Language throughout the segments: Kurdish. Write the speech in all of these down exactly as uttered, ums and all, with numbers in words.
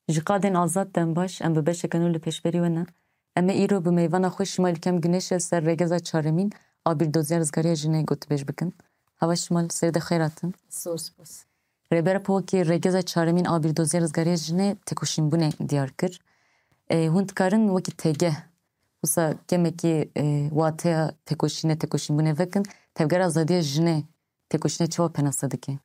Ji qadên Azad dem baş, em bi beşeke nû li pêşberî we ne. Em ê îro bi mêvana xwe Şimal Kem Guneşê li ser rêgeza çaremîn a bîrdoziya rizgariya jinê gotibêj bikin. Hava Şimal, serê de xêr hatin. Zor spas. Rêber Apo wekî rêgeza çaremîn a bîrdoziya rizgariya jinê têkoşînbûnê diyar kir. Ê, hûn dikarin wekî têgeh, wisa kemekî, ê, wateya têkoşînê, têkoşînbûnê vekin, tevgera azadiya jinê têkoşînê çawa penase dike?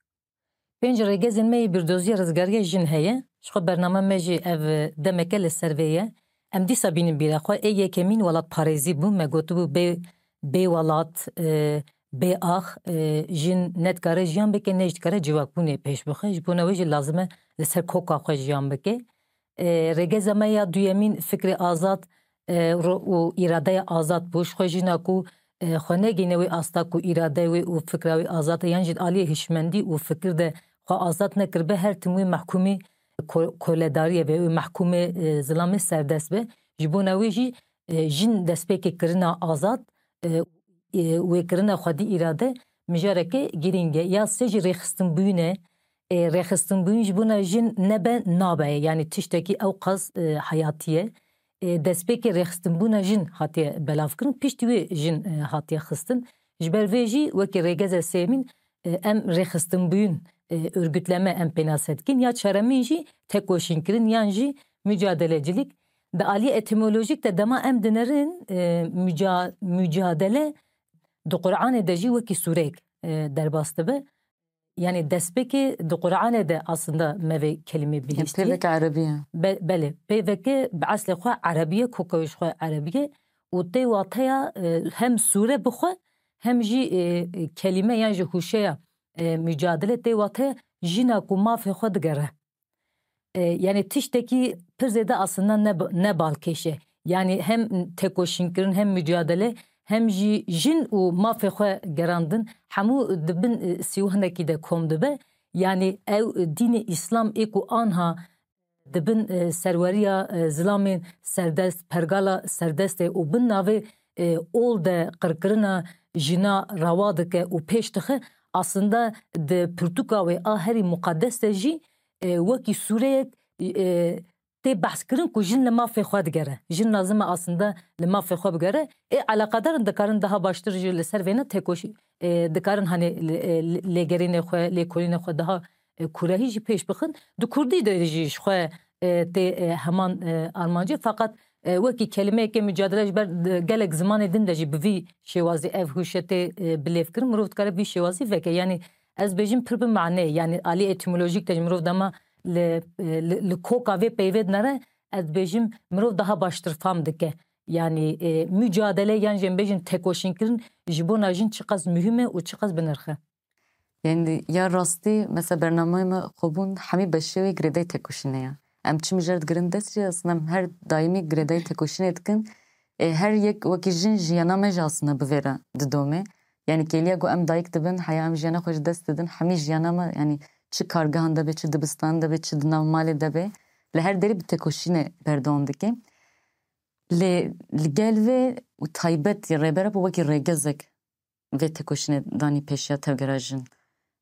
Pênc rêgezên me yê bîrdoziya rizgariya jin heye. Ji xwe bername me jî ev demeke li ser vê ye. Em dîsa bînin bîra xwe. Ê yekemîn welatparêzî bû. Me gotibû bê, bê welat, e, bê ax, e, jin ne dikare jiyan bike, ne jî dikare civakbûnê pêş bixe. Ji bona wê jî lazim e li ser koka xwe jiyan bike. E, rêgeza me ya duyemîn fikrê azad, e, ro-, û îradeya azad bû. Ji xwe jina ku, e, xwe negihîne wê asta ku îrade wê û fikra wê azad e, yan jî di aliyê hişmendî û fikir de xwe azad nekiribe, her tim wê mehkûmî ko-, koledariyê be, wê mehkûmê, e, zilamê serdest be. Ji bona wê jî, e, jin destpêkê kirina azad, e, e, wê kirina xwedî îrade mijareke girîng e. Ya sê jî rêxistinbûyîn e. E, rêxistinbûyîn ji bona jin nebe nabe ye. Yanî tiştekî ew qas, e, heyatî ye. E, destpêkê rêxistinbûna jin hatiye belavkirin, piştî wê jin, e, hatiye xistin. Ji ber vê jî wekî rêgeza sêyemîn, e, em rêxistinbûyîn, e, örgütleme em pênase dikin. Ya çaremîn jî tekoşînkirin yan jî mücadelecilik. Di aliyê etimolojîk de dema em dinerin, e, müca-, mücadele di Qur'anê de jî wekî sûreyek, e, derbas dibe. Yanî destpêkê di Qur'anê de aslında me vê kelîmê bihîstiye. Pêveke erebî ye. Be-, belê, pêveke bi eslê xwe erebî ye, koka wê ji xwe erebî ye û tê wateya, e, hem sûre bi xwe hem jî, e, e, kelîme yan jî hûşeya, e, mücadele tê wateya jina ku mafê xwe digere. E, yanî tiştekî pir zêde aslında ne, ne balkêş e. Yanî hem tekoşînkirin, hem mücadele, hem jî jin û mafê xwe gerandin, hemû di bin, e, sîwanekî de kom dibe. Yanî ew, e, dînê Îslam ê ku anha di bin, e, serweriya, e, zilamên serdest, pergala serdestê û bin navê, e, ol de qirkirina jina rewa dike û pêş dixe, aslında di pirtûka wê a herî muqedes de jî, e, wekî sûreyek, e, tê behs kirin ku jin li mafê xwe digere. Jin lazim e aslında li mafê xwe bigere. Ê eleqedar in, dikarin daha baştir jî li ser vêne têkoşî, e, dikarin hani li, e, li, lêgerînê xwe, lêkolînê xwe daha, e, kurehî jî pêş bixin. Di kurdî de jî ji xwe, e, tê, e, heman, e, armancê. Feqet, e, wekî kelimeyeke mücadele ji ber, e, gelek zimanê din de jî bi vî şêwazî ev hûşe tê, e, bilêv kirin. Mirov dikare bi vî şêwazî veke. Yanî ez bêjim pir bi maneyê. Yanî alî etîmolojîk de jî mirov dema li, e, li, li koka vê peyvê dinere, ez dibêjim mirov daha baştir fam dike. Yanî, e, mücadele yan jî em bêjin tekoşînkirin ji bona jin çiqas muhîm e û çiqas bi nirx e. Yanî ya rastî, mesela bernameyê me xwebûn hemî beşê wê girêdayî tekoşînê ye. Em çi mijar digirin dest jî, aslında em her daîmî girêdayî tekoşînê dikin. E, her yek wekî jin jiyana me jî aslında bi vê re didome. Yanî kêliya ku em dayik dibin, heya em jiyana xwe ji dest didin, hemî jiyana me, yanî çi kargehan de be, çi dibistanan de be, çi di nav malê de be, li her derê bi tekoşînê berdewam dike. Lê li gel vê û taybet ya Rêber Apo wekî rêgezek vê tekoşînê danî pêşiya tevgera jin.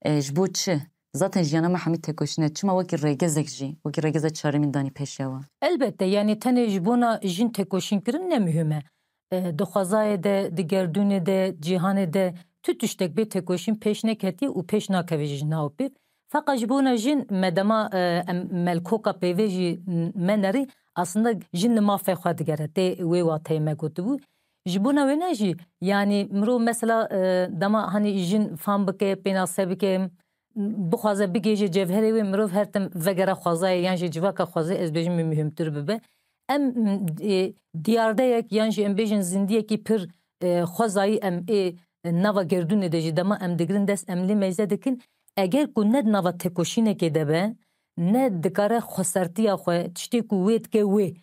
E, ji bo çi? Zaten jiyana me hemî tekoşîn e. Çima wekî rêgezek jî, wekî rêgeza çaremîn danî pêşiya we? Elbette, yanî tenê ji bona jin tekoşîn kirin ne muhîm e. E, di xwezayê de, di gerdûnê de, cîhanê de tu tiştek bê tekoşîn pêş neketiye û pêş nakeve jî ji nav pêv. Feqet ji bona jin me dema, e, em melkoka peyvê jî me nerî, aslında jin li mafê xwe digere. Tê wê wateyê me gotibû. Ji bona wêne jî, yanî mirov mesela, e, dema hanî jin fam bike, pênase bike, bixwaze bigihêje cevherê wê, mirov her tim vegere xwezayê yan jî civaka xwezayê, ez bêjim, muhîmtir bibe. Em, e, diyardeyek yan jî em bêjin zindiyekî pir, e, xwezayî em ê nava gerdûnê de jî dema em digirin dest, em lê meyze dikin. Eger ku ne di nava tekoşînekê de be, ne dikare xwesertiya xwe, tiştê ku wê dike wê,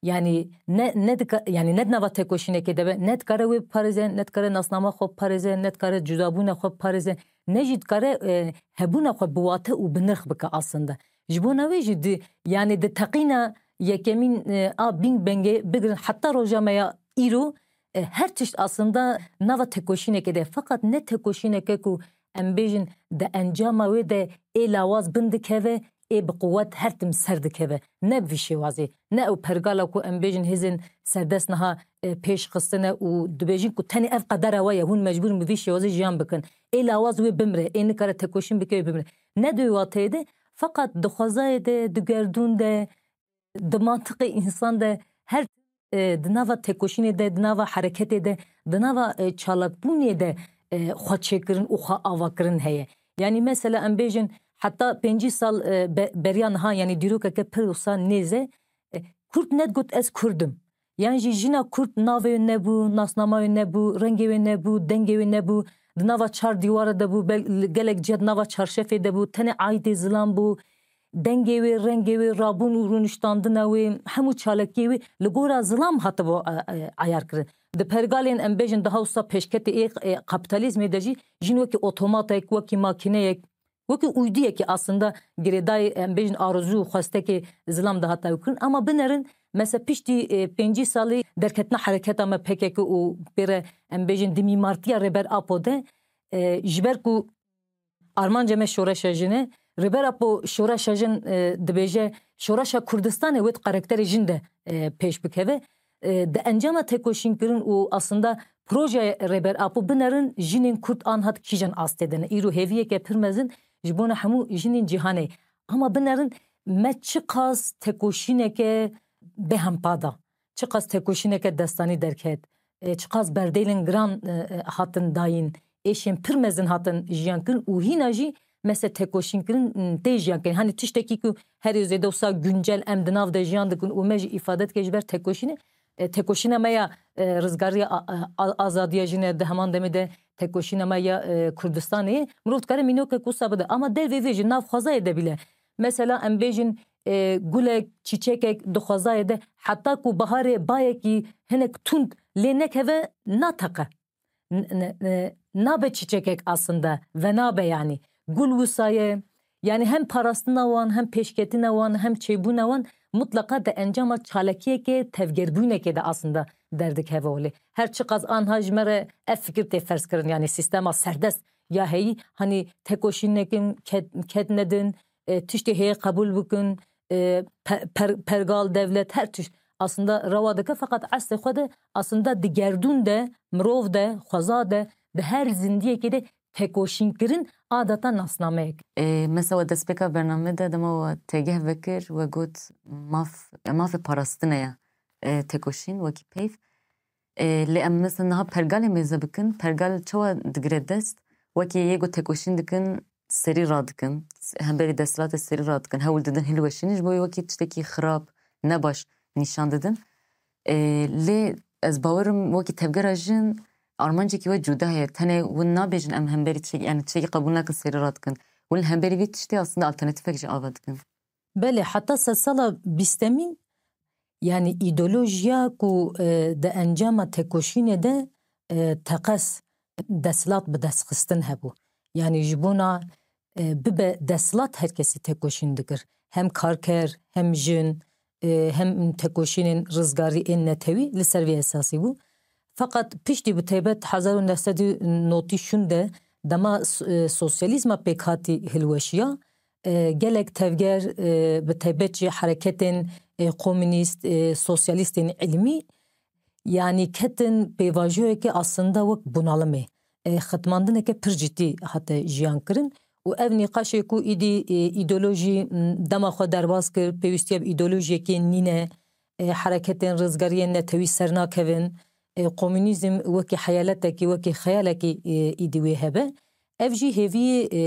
yanî ne, ne dika-, yanî ne di nava tekoşînekê de be, ne dikare wê biparêze, ne dikare nasnama xwe biparêze, ne dikare cudabûna xwe biparêze, ne jî dikare, e, hebûna xwe bi wate û bi nirx bike aslında. Ji bona wê jî di, yanî di teqîna yekemîn, e, a Big Bangê bigirin heta roja me ya îro, e, her tişt aslında nava tekoşînekê de. Feqet ne tekoşîneke ku em bêjin di encama wê de ê lawaz bin dikeve, ê bi quwet her tim ser dikeve. Ne bi vî şêwazê, ne ew pergala ku em bêjin hêzên serdest niha, e, pêş xistine û dibêjin ku tenê ev qedera we ye, hûn mecbûr in bi vî şêwazê jiyan bikin. Ê lawaz wê bimire, ê nikare tekoşîn bike wê bimire. Ne di wê wateyê de, feqet di xwezayê de, di gerdûn de, di mantiqê însan de her, e, di nava tekoşînê de, di nava hereketê de, di nava, e, çalakbûnê de, e, xwe çêkirin û xwe avakirin heye. Yanî mesela em bêjin heta pêncî sal, e, be-, beriya niha, yanî dîrokeke pir wisa nêz e, e, Kurd negot ez Kurd im. Yan jî jina Kurd navê wê nebû, nasnama wê nebû, rengê wê nebû, dengê wê nebû, di nava çar dîwara de bû, bel-, gelek ciya di nava çarşefê de bû, tenê aîdê zilam bû, dengê wê, rengê wê, rabûn û rûniştandina wê, hemû çalakiyê wê li gora zilam hatibo, e, e, eyar kirin. Di pergalên, em bêjin, daha wisa pêşketê ê, e, kapîtalîzmê de jî jin wekî otomatek, wekî makîneyek, wekî uydiyekî aslında girêdayî, em bêjin, arezû û xwestekê zilam dihate ew kirin. Ama binerin, mesela piştî, e, pêncî salî derketina hereketa me P K K û pê re, em bêjin, di mîmartiya Rêber Apo de, e, ji ber ku armanca me şoreşa jin e. Rêber Apo şoreşa jin, e, dibêje, şoreşa Kurdistanê wê di karakterê jin de, e, pêş bikeve. E, di encama têkoşînkirin û aslında projeya Rêber Apo binerin jinên Kurd anha di kîjan astê de ne. Îro hêviyeke pir mezin ji bona hemû jinên cîhanê. Ama binerin me çiqas têkoşîneke bêhempa da. Çiqas têkoşîneke destanî derket, e, çiqas berdêlên giran, e, e, hatin dayîn, êşên pir mezin hatin jiyan kirin û hîna jî mese têkoşîn kirin, m, tê jiyan kirin. Hani tiştekî ku herî zêde wisa guncel em di nav de jiyan dikin û me jî îfade dike ji ber têkoşînê, e, têkoşîna me ya, e, rizgariya a, a, a, azadiya jin e, di heman demê de têkoşîna me ya, e, Kurdistanê ye. Mirov dikare mînokek wisa bide. Ama dervê vê jî nav xwezayê de bîle. Mesela em bêjin, e, gulek, çîçekek di xwezayê de, heta ku biharê bayekî hinek tund lê nekeve, nateqe. N-, n-, n-, nabe çîçekek aslında, venabe yanî. Gul wisa ye. Yanî hem parastina wan, hem pêşketina wan, hem çêbûna wan mutleqa di encama çalakiyeke tevgerbûnekê de aslında derdikeve holê. Her çiqas anha ji me re ev fikir tê ferz kirin, yanî sîstema serdest ya heyî, hani têkoşîn nekin, ked, ked nedin, e, tiştê heye qebûl bikin, e, pe-, per-, pergal, dewlet, her tişt aslında rewa dike, feqet eslê xwe de aslında di gerdûn de, mirov de, xweza de, di her zindiyekê de têkoşînkirin adeta nasnameyek. E, mesela we destpêka bername de dema we têgeh vekir, we got maf, mafê parastine ye, e, têkoşîn wekî peyv. E, lê em mesela niha pergalê mêze bikin, pergal çawa digire dest? Wekî yê ku têkoşîn dikin, serî radikin, hemberî desthilatê serî radikin, hewl didin hilweşînin, ji bo wê wekî tiştekî xirab, nebaş nîşan didin. E, lê ez bawerim wekî tevgera jin armancekî we cuda heye. Tenê hûn nabêjin em hemberî tiştekî, yani tiştekî qebûl nakin, serî radikin. Hûn li hemberî vî tiştê aslında alternatîfek jî ava dikin. Belê, heta sedsala bîstemîn, yanî îdeolojiya ku, e, di encama têkoşînê de, e, teqez desthilat bi dest xistin hebû. Yanî ji bona, e, bibe desthilat her kesî têkoşîn dikir. Hem karker, hem jin, e, hem têkoşînên rizgarî ên netewî li ser vê esasî bû. Feqet piştî bi taybet hezar û neh sed û notî şûn de dema s-, e, sosyalîzma pêkhatî hilweşiya, e, gelek tevger, e, bi taybet jî hereketên, e, komûnîst, e, sosyalîstên ilmî, yanî ketin pêvajoyeke aslında wek bunalimê, e, xitmandineke pir cidî hate jiyan kirin û ev nîqaşê ku îdî, e, îdeolojî, m, dema xwe derbas kir, pêwîstiya bi îdeolojiyekê nîne, e, hereketên rizgariyên netewî sernakevin, e, komûnîzm wekî heyaletekî, wekî xeyalekî, e, îdî wê hebe. Ev jî hêviyê, e,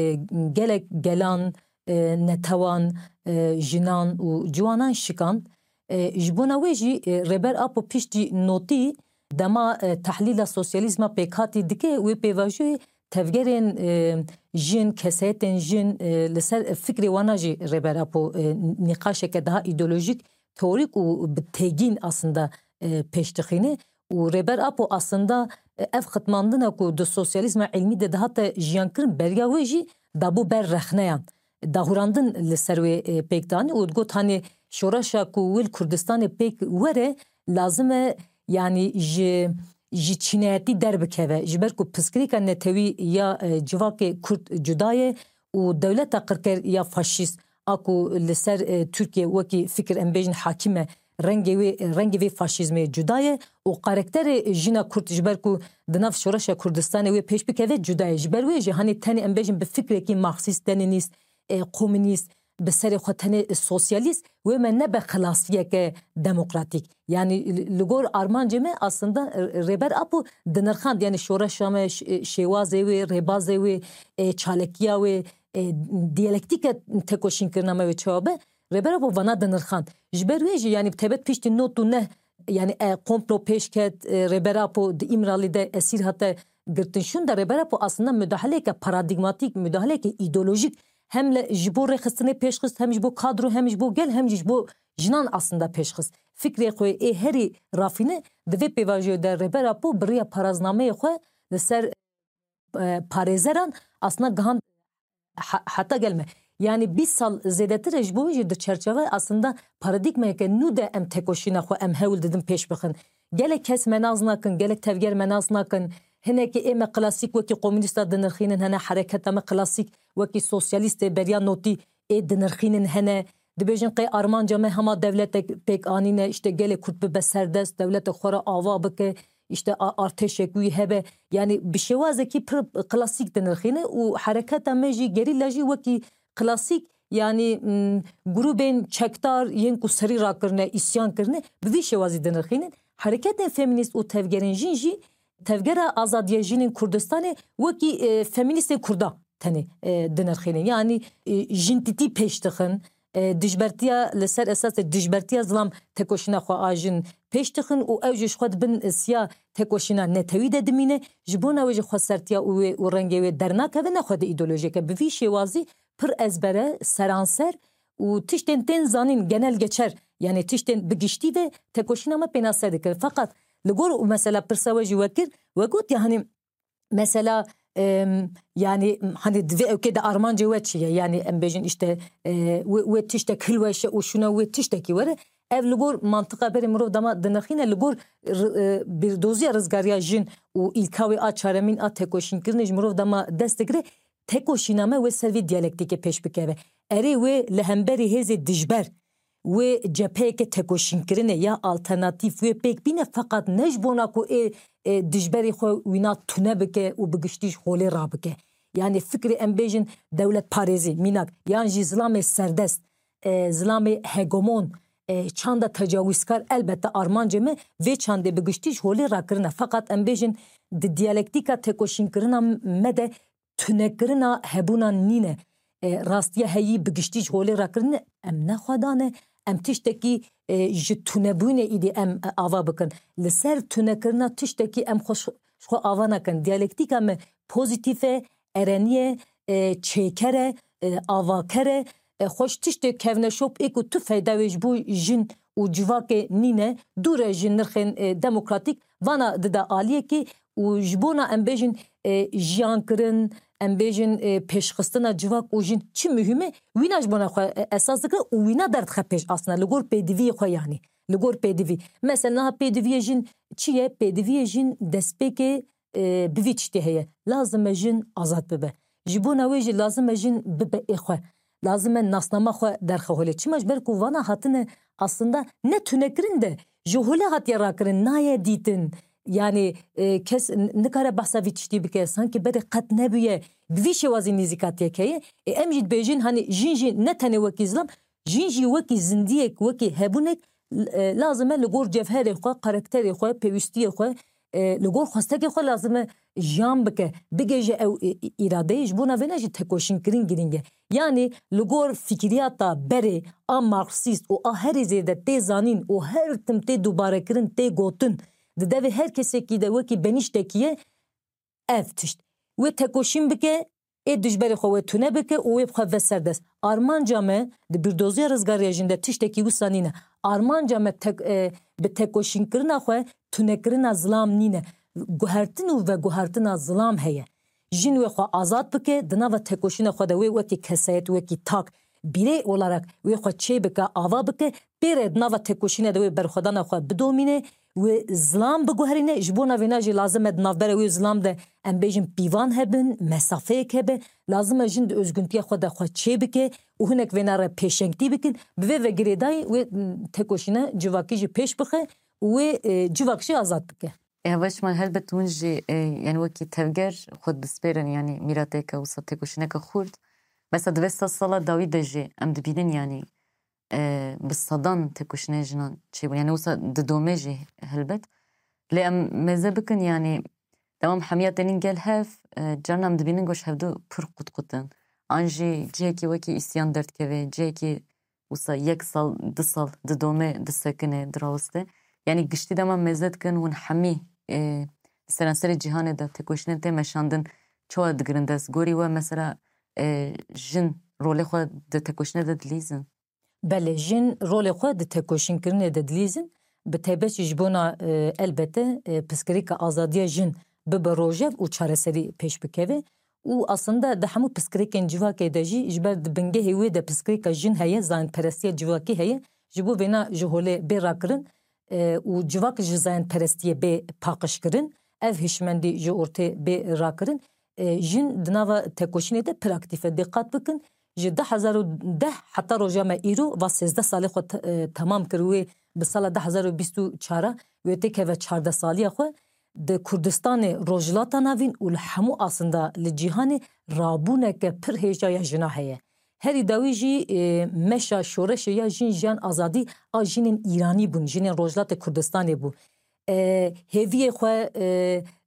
gelek gelan, e, netewan, e, jinan û ciwanan şikand. E, ji bona wê jî, e, Rêber Apo piştî notî dema, e, tehlîla sosyalîzma pêkhatî dike, wê pêvajoyê tevgerên, e, jin, kesayetên jin, e, li ser fikrê wana jî Rêber Apo, e, nîqaşeke daha îdeolojîk, teorîk û bi têgîn aslında, e, pêş dixîne. Û Rêber Apo aslında, e, ev xitmandina ku di sosyalîzma ilmî de dihate jiyan kirin, beriya wê jî dabû ber rexneyan. Dahurandin li ser wê, e, pêk danî û digot, hanê şoreşa ku wê li Kurdistanê pêk were, lazim e, yanî ji, ji çînayetî derbikeve. Ji ber ku pirsgirêka netewî ya, e, civakê Kurd cuda ye û dewleta qirker ya faşîst a ku li ser, e, Tirkiye wekî fikir em bêjin hakim e, rengê wê, rengê vê faşîzmê cuda ye û karakterê jina Kurd, ji ber ku di nav şoreşa Kurdistanê wê pêş bikeve cuda ye. Ji ber wê jî hanê tenê em bêjin bi fikrekî marksîst, leninîst, e, komûnîst, bi serê xwe tenê sosyalîst, wê me nebe xilasiyeke demokratîk. Yanî li, li gor armancê me aslında, e, Rêber Apo dinirxand, yanî şoreşa me, ş-, e, şêwazê wê, rêbazê wê, e, çalekiya wê, e, diyalektîke tekoşînkirina me wê çawa be, Rêber Apo vana dinirxand. Ji ber wê jî, yanî bi taybet piştî nod û neh, yanî, e, komplo pêş ket, e, Rêber Apo di Îmralî de esîr hate girtin şûnde, Rêber Apo aslında mudahaleyeke paradîgmatîk, mudahaleyeke îdeolojîk hem li, ji bo rêxistinê pêşxist, hem ji bo kadro, hem ji bo gel, hem jî ji bo jinan aslında pêşxist. Fikrê xwe ê herî rafîne di vê pêvajoyê de Rêber Apo bi riya paraznameyê xwe li ser, e, parêzeran aslında gihand ha-, heta gel me. Yanî bîst sal zêdetir e, ji bo wê jî di çerçeve aslında paradîgmayeke nû de em tekoşîna xwe em hewl didin pêş bixin. Gelek kes me nas nakin, gelek tevger me nas nakin. Hinekî ê me klasîk wekî komûnîsta dinirxînin hene, hereketa me klasîk wekî sosyalîstê beriya notî ê dinirxînin hene. Dibêjin qey armanca me hema dewletek pêk anîne, îşte gelê Kurd bibe serdest, dewletek xwe re ava bike, îşte a-, artêşek wî hebe. Yanî bi şêwazekî pir klasîk dinirxîne û hereketa me jî, gerîla jî wekî klasîk, yanî, m, grûbên çekdar yên ku serî rakirine, îsyan kirine, bi vî şêwazî dinirxînin. Hereketên femînîst û tevgerên jin jî tevgera azadiya jinên Kurdistanê wekî, e, femînîstên Kurda tenê, e, dinirxînin. Yanî, e, jintîtî pêş dixin, e, dijbertiya li ser esasê dijbertiya zilam tekoşîna xwe a jin pêş dixin û ew jî ji xwe di bin siya tekoşîna netewî de dimîne. Ji bona wê jî xwesertiya û wê û rengê wê dernakeve, nexwe di îdeolojiyeke bi vî şêwazî pir ezbere, seranser û tiştên tên zanîn genel geçer, yanî tiştên bi giştî ve tekoşîna me pênase dikir. Feqet li gor û mesela pirsa we jî we kir, we got ya, hanî mesela, em, yanî, hanî di vê ewkê de armancê we çi ye? Yanî em bêjin îşte, e, wê, wê tiştek hilweşe û şûna wê tiştekî were. Ev li gor mantiqa berê mirov dema dinirxîne, li gor r-, e, bîrdoziya rizgariya jin û îlka wê a çaremîn a tekoşînkirinê ji mirov dema dest digire, tekoşîna me wê ser vê diyalektîkê pêş bikeve. Erê wê li hemberî hêzê dijber, wê cepheyeke tekoşînkirinê ya alternatîf wê pêk bîne, feqet ne ji bona ku ê, ê dijberê xwe wîna tune bike û bi giştî ji holê rabike. Yanî fikrê em bêjin dewletparêzî, mînak, yan jî zilamê serdest, e, zilamê hegemon, e, çanda tecawizkar, elbette armancê me vê çandê bi giştî ji holê rakirine. Feqet em bêjin di diyalektîka tekoşînkirina me de tunekirina hebûna nîne. E, rastiya heyî bi giştî ji holê rakirine, em ne xwedan e, em tiştekî, e, ji tunebûnê îdî em, e, ava bikin. Li ser tunekirina tiştekî em xwe, ji xwe ava nakin. Diyalektîka me pozîtîf e, erenî ye, e, çêker e, e, avaker e, e, xweş tiştê kevneşop ê ku tu feyda wê ji bo jin û civakê nîne, dûr e ji nirxên, e, demokratîk, vana dide aliyekê û ji bona em bêjin, e, jiyankirin, em bêjin, e, pêşxistina civak û jin çi muhîm e, wîna ji bona xwe, e, esas dike û wîna derdixe pêş aslında li gor pêdiviyê xwe yanî. Li gor pêdivî. Mesela niha pêdiviyê jin çi ye? Pêdiviyê jin destpêkê e, bi vî tiştê heye. Lazim e jin azad bibe. Ji bona wê jî lazim e jin bibe ê xwe. Lazim e nasnama xwe derxe holê. Çima? Ji ber ku vana hatine aslında ne tunekirin de ji holê hatiye rakirin, naye dîtin. Yani, e, kes n-, nikare behsa vî tiştî bike. Sanki berê qet nebûye. Bi vî şêwazî nîzîkatiyek heye. E, em jî dibêjin, hani jin jî ne tenê wekî zilam, jin jî wekî zindiyek, wekî hebûnek, e, lazim e li gor cevherê xwe, karakterê xwe, pêwîstiyê xwe, e, li gor xwestekê xwe lazim e jiyan bike, bigêje ew, e, î-, îradeyê. Ji bona vêna jî tekoşînkirin girîng e. Yanî li gor fikriyata berê a marksîst û a herî zêde tê zanîn û her tim tê dubarekirin, tê gotin, di devê her kesekî de wekî benîştekî ye, ev tişt. Wê tekoşîn bike, ê dijberê xwe wê tune bike û wê bi xwe ve serdest. Armanca me di bîrdoziya rizgariya jin de tiştekî wisa nîne. Armanca me tek-, e, bi tekoşînkirina xwe tunekirina zilam nîne. Guhertin û veguhertina zilam heye. Jin wê xwe azad bike, di nava tekoşîna xwe de wê wekî kesayet, wekî tak, birey olarak wê xwe çê bike, ava bike, pê re di nava tekoşîna de wê berxwedana xwe bidomîne wê zilam biguherîne, ji bona vêna jî lazim e di navbera wê zilam de, em bêjin, pîvan hebin, mesafeyek hebe, lazim e jin di özgüntiya xwe de xwe çê bike û hinek vêna re pêşengtî bikin. Bi vê ve girêdayî wê, m, tekoşîna civakî jî pêş bixe û wê, e, civak jî azad bike. E, hevaş me helbet hûn jî, e, yani wekî tevger xwe dispêrin, yani mîrateke wisa tekoşîneke xurt. Mesela di vê sed sala dawî de jî em dibînin, yani, e, bi sedan tekoşînê jinan çêbûn. Yani wisa didome jî helbet. Lê em mêze bikin, yani dewam hemiya tenîn gel hev, e, carna em dibînin goş hevdu pir qutqut in. An jî cihekî wekî îsyan derdikeve, cihekî wisa yek sal, du sal didome, disekine, dirawiste. Yani giştî dema mêze dikin hûn hemî, e, di seranserê cîhanê de tekoşînên tê meşandin, çawa digirin dest? Gorî we mesela, e, jin rolê xwe di tekoşînê de dilîzin? Belê, jin rolê xwe di tekoşînkirinê de dilîzin. Bi taybet jî ji bona, e, elbete, e, piskirêka azadiya jin bibe rojev û çareserî pêş bikeve. Û aslında di hemû piskirêkên civakê de jî, ji ber di bingehê wê de piskirêka jin heye, zayendperestiya civakî heye, ji bo vêna ji holê bê rakirin, e, û civak ji zayendperestiyê bê paqijkirin, ev hişmendî ji ortê bê rakirin. E, jin di nava tekoşînê de pir aktîf e. Dîqat bikin, ji du hezar û deh heta roja me îro, va sêzdeh salê xwe te-, e, temam kir. Wê bi sala du hezar û bîst û çar wê têkeve çardeh saliya xwe. Di Kurdistanê, Rojhilata Navîn û li hemû asinda li cîhanê rabûneke pir hêja ya jina heye. Herî dawî jî, e, meşa şoreşê ya jin, jiyan, azadî a jinên Îranî bûn, jinên Rojhilatê Kurdistanê bû. E, hêviyê xwe, e,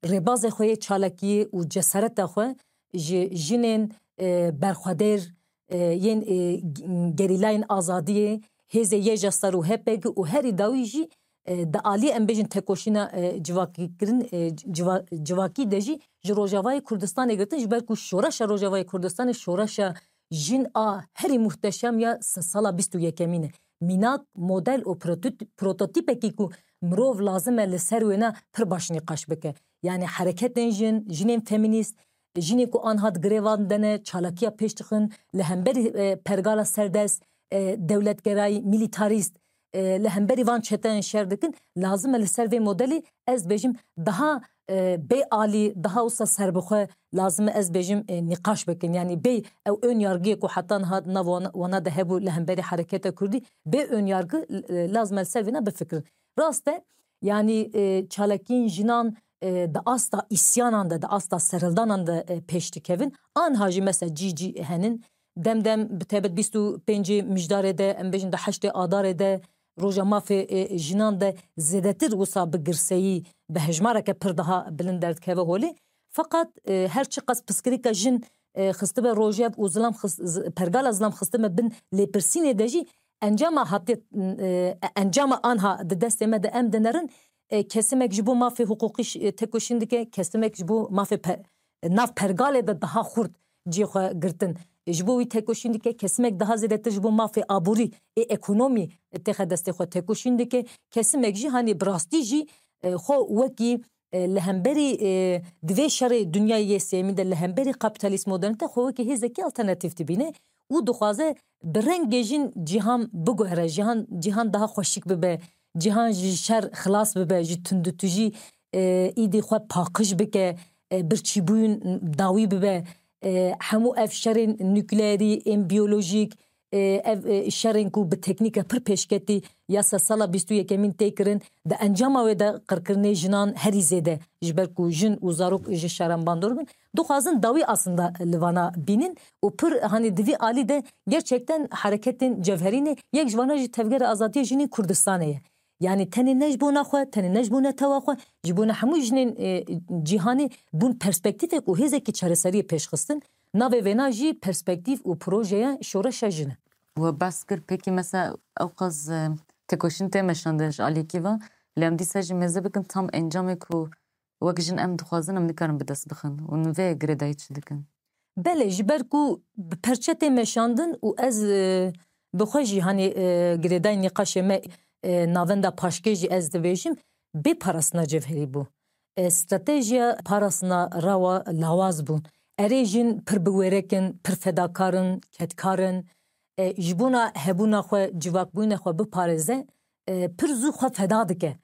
rêbazê xwe yê çalakiyê û cesareta xwe ji jinên, e, berxwedêr, e, yên, e, g-, gerîlayên azadiyê, hêzê YJA, SAR û HPG û herî dawî jî, e, di aliyê, em bêjin, tekoşîna, e, civakîkirin, e, civa-, civakî de jî ji Rojavayê Kurdistanê girtin, ji ber ku şoreşa Rojavayê Kurdistanê şoreşa jin a herî muhteşem ya se-, sala bîst û yekemîn e. Mînak, model û prototîp-, prototîpekî ku mirov lazim e li ser wêna pir baş nîqaş bike. Yani hereketên jin, jinên femînîst, jinên ku anha di grevan de ne, çalakiya pêş dixin, li hemberî, e, pergala serdest, e, dewletgerayî, milîtarîst, e, li hemberî van çeteyên şer dikin, lazim e li ser vê modelî, ez dibêjim, daha, e, bê alî, daha wisa serbixwe lazim e, ez dibêjim, e, nîqaş bikin. Yani bê ew ön yargiyê ku heta niha di nav wana, wana de hebû li hemberî hereketa kurdî, bê ön yargı, e, lazim e li ser vêna bifikirin. Rast e, yani, e, çalakiyên jinan, e, di asta îsyanan de, di asta serhildanan de, e, pêş dikevin. Anha jî mesela cî cî henin. Dem dem, bi taybet bîst û pêncê Mijdarê de, em bêjin di heştê Adarê de, Roja Mafê, e, Jinan de zêdetir wisa bi girseyî, bi hejmareke pir daha bilind derdikeve holê. Feqet, e, her çiqas piskirîka jin, e, xistibe rojev û zilam xist-, z-, pergala zilam xistibe bin lêpirsînê de jî, encama hatiye, e, encama anha di destê me de em dinerin, e, kesimek ji bo mafê hiqûqî ş-, e, tekoşîn dike, kesimek ji bo mafê pe-, nav pergalê de daha xurt cihê xwe girtin. Ji bo wî tekoşîn dike, kesimek daha zêdetir ji bo mafê aborî ê ekonomî têxe destê xwe tekoşîn dike, kesimek jî, hanî, bi rastî jî, e, xwe wekî, e, li hemberî, e, di vê şerê dinyayê yê sêyemî de li hemberî kapîtalîst modernîte xwe wekî hêzekî alternatîf dibîne û dixwaze bi rengê jin cîhan biguhere, cîhan, cîhan daha xweşik bibe, cîhan ji şer xilas bibe, ji tundûtûjî, e, îdî xwe paqij bike, e, birçîbûyîn dawî bibe, e, hemû ev şerên nukleerî, ên biyolojîk, e, ev, e, şerên ku bi teknîke pir pêşketî ya se sala bîst û yekemîn tê kirin, di encama wê de qirkirinê jinan herî zêde, ji ber ku jin û zarok ji şeran bandor bin, dixwazin dawî aslında li vana bînin û pir, hanî, di vî alî de gerçekten hereketên cevherî ne, yek ji vana jî Tevgera Azadiya Jinên Kurdistanê ye. Yani tenê ne ji bona xwe, tenê ne ji bo netewa xwe, ji bona hemû jinên, e, cîhanê bûn perspektîfek û hêzekî çareseriyê pêşxistin. Navê vêna jî perspektîf û projeya şoreşa jin e. We behs kir, pêkî mesela ewqas, e, tekoşîn tê meşandin ji alîkî ve, lê em dîsa jî mêze bikin tam encamê ku wek jin em dixwazin, em nikarin bi dest bixin û vê girêdayî çi dikin? Belê, ji ber ku bi perçe tê meşandin û ez, e, bi xwe jî, hanî, e, girêdayî nîqaşê me, e, navenda paşkê jî ez dibêjim, bê parastina cevherî bû. E, stratejiya parastina rawa lawaz bûn. Erê jin pir bi wêrek in, pir fedakar in, kedkar in. E, ji bona hebûna xwe, civakbûyîna xwe biparêze, e, pir zû xwe feda dike.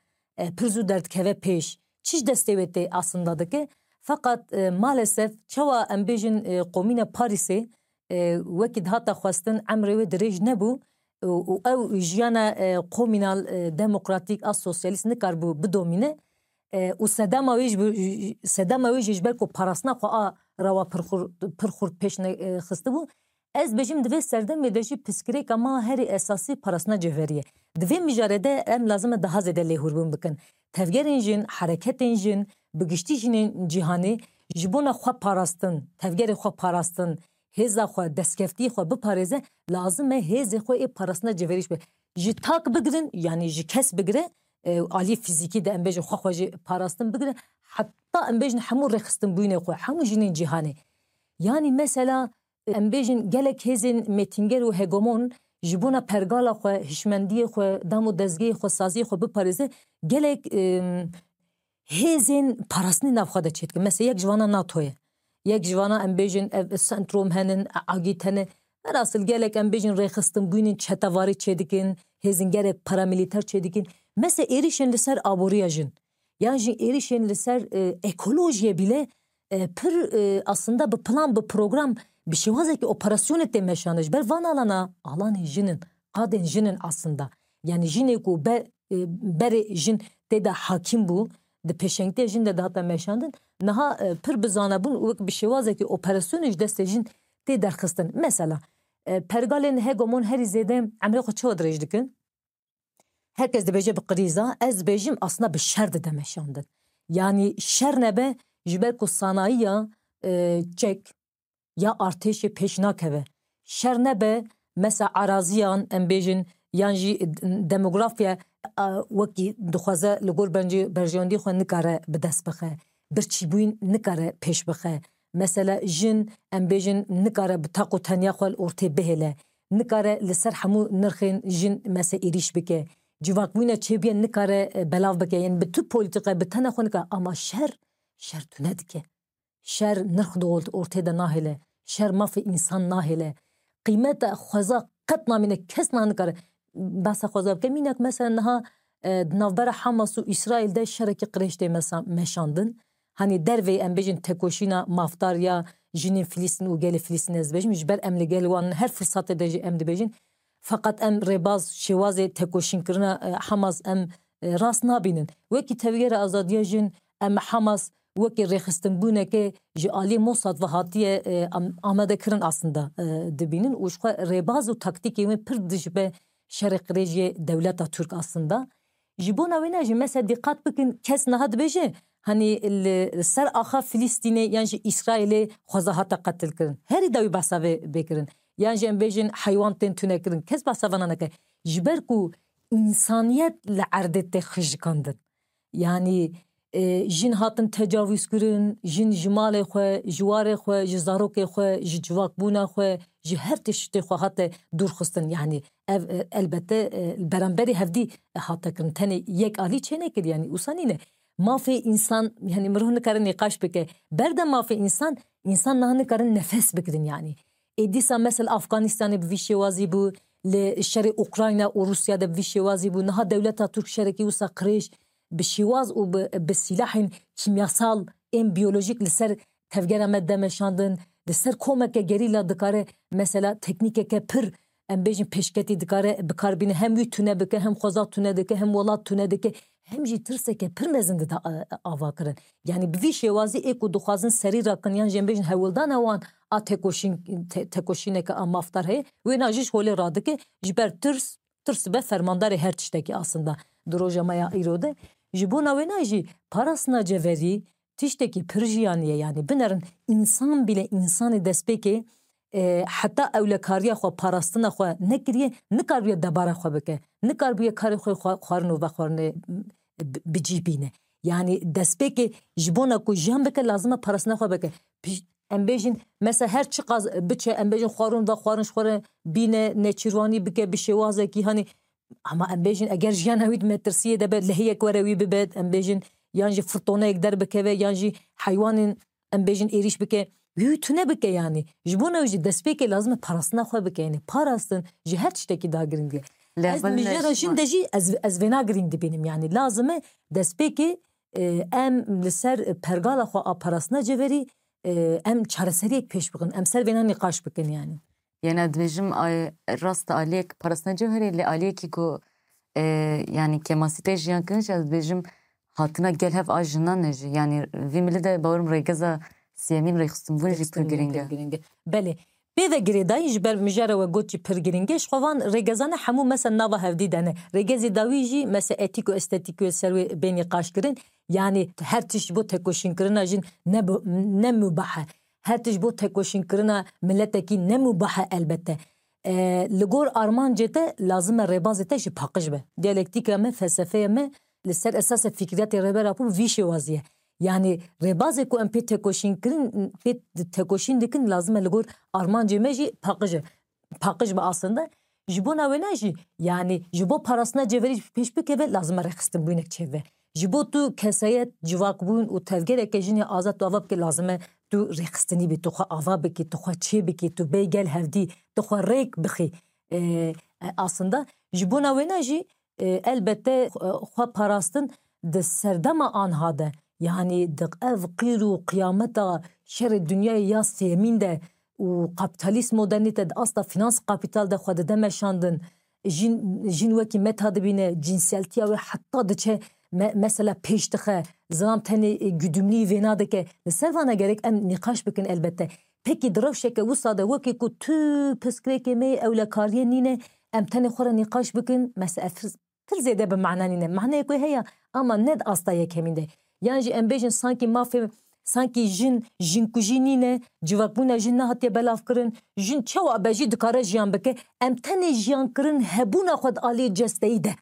e, pir zû derdikeve pêş. Çi ji destê wê tê aslında dike? Feqet, e, maalesef çawa em bêjin, e, qomîna Parîsê, e, wekî dihata xwestin emrê wê dirêj nebû û, û ew jiyana, e, komînal, e, demokratîk a sosyalîst nikaribû bidomîne. E, û sedema wê ji, sedema wê jî ji ber ku parastina xwe a rawa pir xurt, pir xurt pêş ne, e, xistibû. Ez bêjim di vê serdemê de jî pirsgirêka me herî esasî parastina cevherî ye. Di vê mijarê de em lazim e daha zêde lêhûrbûn bikin. Tevgerên jin, hereketên jin, bi giştî jinên cîhanê ji bona xwe parastin, tevgerê xwe parastin, hêza xwe, destkeftiyê xwe biparêze, lazim e hêzê xwe ê parastina cevherî jî be. Ji tak bigirin, yanî ji kes bigire, e, aliyê fîzîkî de em bêjin xwe xwe jî parastin bigire, heta em bêjin hemû rêxistinbûyînê xwe, hemû jinên cîhanê. Yanî mesela, em bêjin gelek hêzên mêtînger û hegemon ji bona pergala xwe, hişmendiyê xwe, dam û dezgehê xwe, saziyê xwe biparêze, gelek, em, hêzên parastinê nav xwe de çêdikin. Mesela yek ji vana NATO ye. Yek ji vana em bêjin ev Centrum henin, Agît hene. Verasil gelek em bêjin rêxistinbûyînên çetevarî çêdikin, hêzên gelek paramîlîter çêdikin. Mesela êrîşên li ser aboriya jin. Yan jî êrîşên li ser, e, ekolojiyê bîle, e, pir, e, aslında bi plan, bi program, bi şêwazekî operasyonê tê meşandin. Ji ber van alana, alanê jin in, qadên jin in aslında. Yanî jinê ku be-, e, berê jin tê de hakîm bû, di pêşengtiya jin de dihate meşandin, niha, e, pir bi zane bûn û wek bi şêwazekî operasyonê ji destê jin tê derxistin. Mesela, e, pergalên hegemon herî zêde emrê xwe çawa dirêj dikin? Her kes dibêje bi krîza, ez dibêjim aslında bi şer dide meşandin. Yanî şer nebe, ji ber ku sanayiya, e, çek ya artêşê pêş nakeve. Şer nebe, mesela araziyan, em bêjin, yan jî demografiya, e, wekî dixwaze li gor bencê-, berjewendî xwe nikare bi dest bixe. Birçîbûyîn nikare pêş bixe. Mesela jin, em bêjin, nikare bi taq û tenya xwe li ortê bihêle. Nikare li ser hemû nirxên jin, mesela, êrîş bike. Civakbûyîna çêbûye nikare, e, belav bike. Yanî bi tu polîtîqe, bi tena xwe nikare. Ama şer, şer tune dike. Şer nirx di ort-, ortê de nahêle. Şer mafê însan nahêle. Qîmeta xweza qet namîne, kes niha nikare behsa xweza bike. Mînak mesela niha, e, di navbera Hamas û Îsraîl de şerekî qirêj tê mesa-, meşandin. Hanî derveyî em bêjin tekoşîna mafdar ya jinên Filistîn û gelê Filistîn ez dibêjim. Ji ber em li gel wan in, her firsatê de jî em dibêjin. Feqet em rêbaz şêwazê tekoşînkirina, e, Hamas em, e, rast nabînin. Wekî Tevgera Azadiya Jin em Hamas wekî rêxistinbûneke ji aliyê Mossad ve hatiye, e, am-, amade kirin aslında, e, dibînin û ji xwe rêbaz û taktîkê wê pir dijibe şerê qirêjiyê dewleta Tirk aslında. Ji bona wê ne jî mesela dîqat bikin, kes niha dibêje, hanî li ser axa Filistînê yan jî Îsraîlê xweza hate qetilkirin. Herî dawî behsa vê bê kirin. Yan jî em bêjin heywan tên tunekirin. Kes behsa vana neke. Ji ber ku însaniyet li erdê tê xijikandin. Yanî, e, jin hatin tecavûz kirin, jin ji malê xwe, ji warê xwe, ji zarokê xwe, ji civakbûna xwe, ji her tiştê xwe hate dûr xistin. Yanî ev, e, elbette, e, li beramberî hevdî hate kirin. Tenê yek alî çênekir, yanî wisa nîne. Mafê însan, yanî mirov nikare nîqaş bike. Berde mafê însan, însan niha nikarin nefes bigirin yanî. Ê dîsa mesela Afganistanê bi vî şêwazî bû, li şerê Ukrayna û Rûsya de bi vî şêwazî bû. Niha dewleta Tirk şerekî wisa qirêj bi şêwaz û bi, bi sîlahên kîmyasal ên biyolojîk li ser tevgera me de meşandin. Li ser komeke gerîla dikare mesela teknîkeke pir, em bêjin, pêşketî dikare bi kar bîne. Hem wî tune bike, hem xweza tune dike, hem welat tune dike, hem jî tirseke pir mezin dida, e, ava kirin. Yanî bi vî şêwazî ê ku dixwazin serî rakin yan jî em bêjin hewldana wan a tekoşîn-, te-, tekoşîneke a mafdar heye, wêna jî ji holê radike, ji ber tirs, tirs be fermandarê her tiştekî aslında di roja me ya îro de. Ji bona wêna jî parastina cevherî tiştekî pir jiyanî ye, yanî binerin însan bîle însanê destpêkê, e, heta ewlekariya xwe, parastina xwe nekiriye, nikaribiye debara xwe bike, nikaribiye karê xwe xwe-, xwarin û vexwarinê bi, bi cî bîne. Yanî destpêkê ji bona ku jiyan bike, lazim e parastina xwe bike. Pij-, em bêjin, mesela her çiqas biçe, em bêjin xwarin vexwarin ji xwe re bîne, nêçîrvanî bike bi şêwazekî, hanî, ama em bêjin eger jiyana wî di metirsiyê de be, lehiyek were wî bibe, em bêjin, yan jî firtoneyek derbikeve, yan jî heywanên, em bêjin, êrîş bike, wî wî tune bike yanî. Ji bona wî jî destpêkê lazim e parastina xwe bike, yanî parastin ji her tiştekî daha giring e. Ez mijara jin de jî ez, ez vêna girîng dibînim. Yani lazim e destpêkê, e, em li ser pergala xwe a parastina cevherî, e, em çareseriyek pêş bixin. Em ser vêna nîqaş bikin yani. Yena dibêjim, ay, rast aliyek parastina cevherê, lê aliyekî ku, e, yani kêmasî tê jiyan kirin jî, ez dibêjim hatina gel hev a jinan e jî. Yani vî milî de bawerim rêgeza siyemîn rêxistinbûn jî pir giring e. Belê. Pê ve girêdayî ji ber mijara we got jî pir giring e. Ji xwe van rêgezane hemû mesela nava hevdî de ne. Rêgezê dawî jî mesela etîk û estetîk wê ser wê bê nîqaş kirin. Yani her tişt ji bo tekoşînkirina jin ne, ne mubah e. Her tişt ji bo tekoşînkirina miletekî ne mubah e elbette. E, li gor armancê te lazim e rêbazê te jî paqij be. Diyalektîka me, felsefeya me li ser esasê fikriyatê Rêber Apo vî şêwazî ye. Yani rêbazê ku em pê tekoşîn kirin, pê tekoşîn dikin lazim e li gor armancê me jî paqij e. Paqij be aslında. Ji bona wêne jî yani ji bo parastina cevherî pêş bikeve lazim e rêxistinbûnek çêbe. Ji bo tu kesayet, civakbûn û tevgereke jinê azad tu ava bike lazim e tu rêxistinî bî, tu xwe ava bikî, tu xwe çê bikî, tu bê gel hevdî, tu xwe rêk bixî. E, e, aslında ji bona wêne jî, e, elbette, e, xwe parastin di serdema anha de, yani di ev qîr û qiyameta şerê dinyayê ya sêyemîn de û kapîtalîst modernîte di asta finans kapîtal de xwe dide meşandin, jin, jin wekî meta dibîne, cînseltiya wê heta diçe me-, mesela pêş dixe, zilam tenê, e, güdümlî vêna dike. Li ser vana gerek em nîqaş bikin elbette. Pekî di rewşeke wisa de wekî ku tu pirsgirêkê me yê ewlekariyê nîne, em tenê xwe re nîqaş bikin, mesela pir, pir zêde bi mana nîne. Maneyek wê heye ama ne di asta yekemîn de. Yan jî em bêjin sankî mafê, sankî jin, jinkujî nîne, civakbûna jin nehatiye belavkirin, jin çawa be jî dikare jiyan bike, em tenê jiyankirin hebûna xwe di aliyê cesteyî de.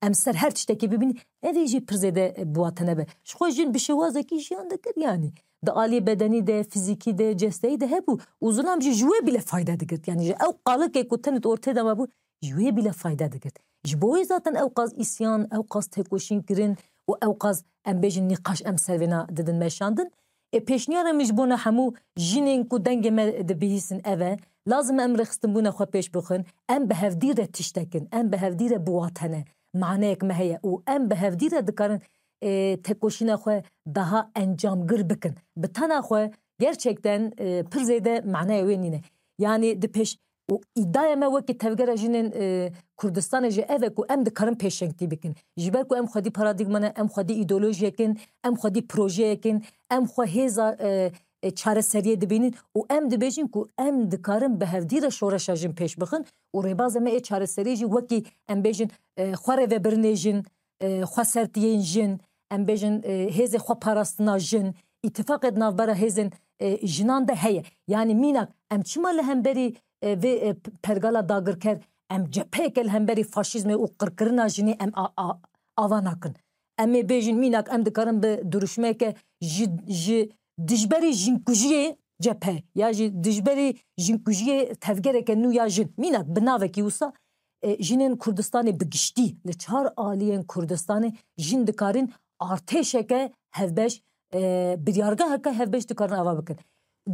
Em ser her tiştekî bibînin, ev ê jî pir zêde, e, bi wate nebe. Ji xwe jin bi şêwazekî jiyan dikir, yanî di aliyê bedenî de, fizîkî de, cesteyî de hebû û zilam jî ji wê bîle fayde digirt. Yanî ji ew qalikê ku tenê di ortê de mabû, ji wê bîle fayde digirt. Ji bo wê zaten ew qas îsyan, ew qas tekoşîn kirin û ew qas, em bêjin, nîqaş em ser vêna didin meşandin. Ê pêşniyara min ji bona hemû jinên ku dengê me dibihîsin ev e, lazim e em rêxistinbûna xwe pêş bixin, em bi hevdî re tiştek in, em bi hevdî re bi wate ne, maneyek me heye û em bi hevdî re dikarin, e, tekoşîna xwe daha encamgir bikin. Bi tena xwe gerçekten, e, pir zêde manaya wê nîne. Yanî di pêş û îdaya me wekî tevgera jinên, e, Kurdistanê jî ev e ku em dikarin pêşengtî bikin. Ji ber ku em xwedî paradîgma ne, em xwedî îdeolojiyek in, em xwedî projeyek in, em xwe hêza, e, e, çareseriyê dibînin û em dibêjin ku em dikarin bi hevdî re şoreşa jin pêş bixin û rêbaza me ê çareseriyê jî wekî em bêjin, e, xwe rêvebirinê jin, e, xwesertiyên jin, em bêjin, e, hêzê xwe parastina jin, îtifaqê di navbera hêzên, e, jinan de heye. Yanî mînak em çima li hemberî, e, vê, e, p-, pergala dagirker em cepheyeke li hemberî faşîzmê û qirkirina jinê em a, a, ava nakin? Em ê bêjin mînak em dikarin bi duruşmeyeke ji, ji dijberî jinkujiyê cephe ya jî dijberî jinkujiyê tevgereke nû ya jin, mînak bi navekî wisa, e, jinên Kurdistanê bi giştî, li çar aliyên Kurdistanê jin dikarin artêşeke hevbeş, e, biryargeheke hevbeş dikarin ava bikin.